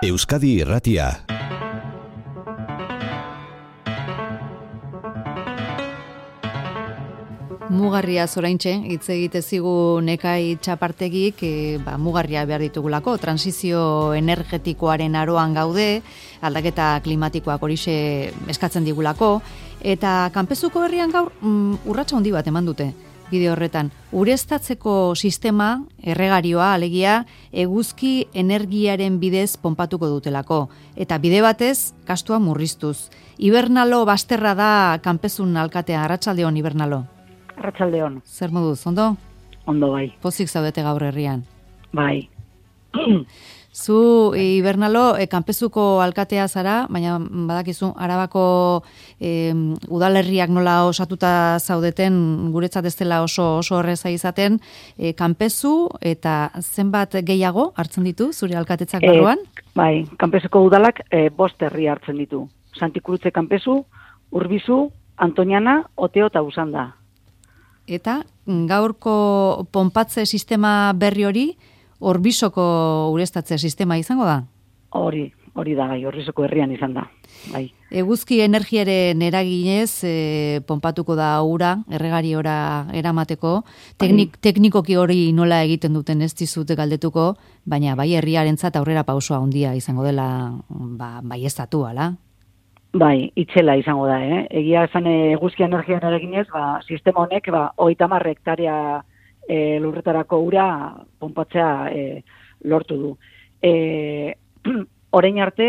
Euskadi Irratia. Mugarria zoraintxe, hitz egite zigu Nekai Txapartegik, mugarria behar ditugulako, transizio energetikoaren aroan gaude, aldaketa klimatikoak horixe eskatzen digulako, eta kanpezuko herrian gaur urratsa handi bat eman dute. Bideo horretan, ureztatzeko sistema, erregarioa, alegia, eguzki energiaren bidez ponpatuko dutelako. Eta bide batez, kastua murriztuz. Ibernalo Basterra da kanpezun alkatea, arratsaldeon Ibernalo. Arratsaldeon. Zer moduz, ondo? Ondo bai. Pozik zaudete gaur herrian. Bai. Zu, Ibernalo, kanpezuko alkatea zara, baina badakizu, Arabako udalerriak nola osatuta zaudeten, guretzat ez dela oso horreza izaten, kanpezu eta zenbat gehiago hartzen ditu, zure alkatetzak barruan? Bai, kanpezuko udalak 5 herri hartzen ditu. Santikurutze kanpezu, Urbizu, Antoniana, Oteo eta Usanda. Eta gaurko ponpatze sistema berri hori, Orbisoko ureztatze sistema izango da? Hori da, bai, Orbisoko herrian izan da. Bai. Eguzki energiaren eraginez ponpatuko da ura, erregariora eramateko. Teknikoki hori nola egiten duten ez dizute galdetuko, baina bai herriarentzat aurrera pausoa handia izango dela baieztatu, ala? Bai, itzela izango da, Egia esan eguzki energiaren eraginez, sistema honek 30 hektarea lurretarako ura ponpatzea lortu du. Orain arte,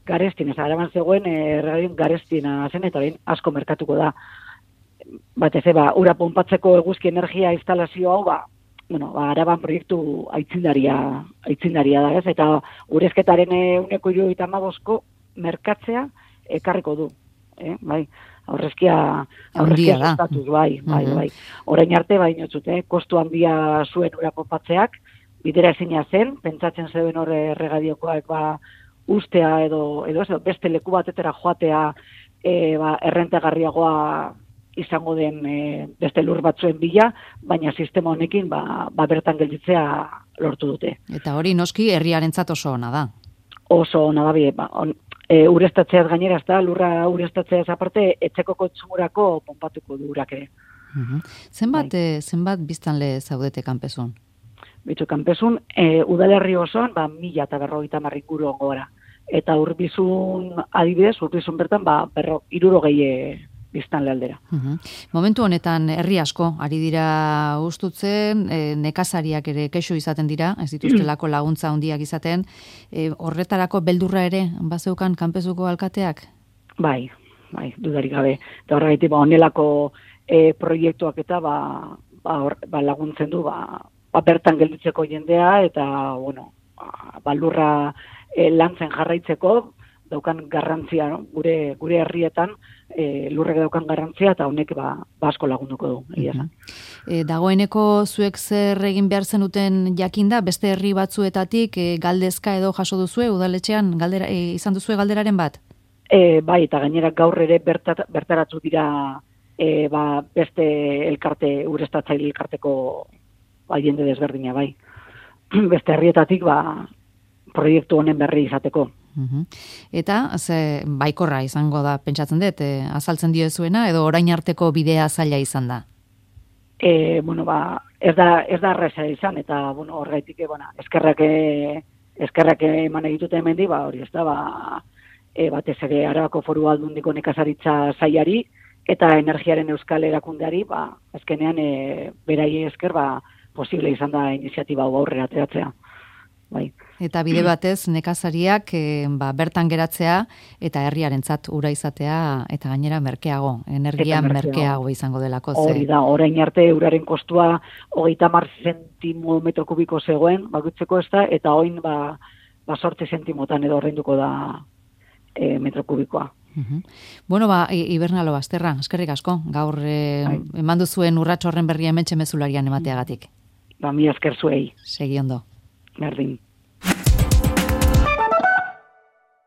Garestin, Araban zegoen erregarien Garestina zen, eta orain asko merkatuko da. Batez, ura ponpatzeko eguzki energia instalazio hau, Araban proiektu aitzindaria da, ez? Eta urezketaren 175 merkatzea ekarriko du, bai. Aurrezkia sustatuz, bai. Orain arte, kostu handia zuen ura ponpatzeak, bidera ezina zen, pentsatzen zeuden hor erregadiokoak ustea edo beste leku batetera joatea errentagarriagoa izango den beste lur batzuen bila, baina sistema honekin bertan gelditzea lortu dute. Eta hori noski herriarentzat oso ona da. Oso ona da, ureztatzeaz gainera, lurra ureztatzeaz aparte, etxeko kontsumorako ponpatuko du urak ere. Zenbat biztanle zaudete kanpezun? Bitu, kanpezun, udalerri osoan, 1.050 inguru ongo gara. Eta Urbizun adibidez, Urbizun bertan, 60 biztanle aldera. Momentu honetan herri asko, ari dira ustutzen, nekazariak ere kexu izaten dira, ez dituztelako laguntza handiak izaten, horretarako beldurra ere, bazeukan kanpezuko alkateak? Bai, dudarik gabe. Eta horregatik, honelako proiektuak eta laguntzen du, bertan gelditzeko jendea, eta, lurra lantzen jarraitzeko, daukan garrantzia, gure herrietan, lurrek daukan garrantzia, eta honek asko lagunduko du. Dagoeneko zuek zer egin behar zenuten jakinda, beste herri batzuetatik galdezka edo jaso duzue, udaletxean izan duzue galderaren bat? Bai, eta gainera gaur ere bertaratu dira beste elkarte, ureztatzaile elkarteko jende desberdina, bai. Beste herrietatik proiektu honen berri izateko. Eta, baikorra izango da, pentsatzen dut, azaltzen diozuena, edo orain arteko bidea zaila izan da? Ez da erreza izan, eta, horregaitik, eskerrak eman egitute hemendi, hori ez da, batez ere Arabako Foru Aldundiko nekazaritza sailari, eta energiaren euskal erakundeari, azkenean, berai esker, posible izan da iniziatiba aurrera ateratzea. Bai. Eta bide batez nekazariak bertan geratzea eta herriarentzat ura izatea eta gainera merkeago, energia merkeago izango delako. Hori da, orain arte uraren kostua 30 zentimo metro kubiko zegoen, bakoitzeko ez da, eta orain 8 zentimotan edo ordainduko da metro kubikoa. Ibernalo Basterra, eskerrik asko, gaur eman duzuen urrats horren berria hementxe mezularian emateagatik. Mi esker zuei. Segi ondo. Berdin.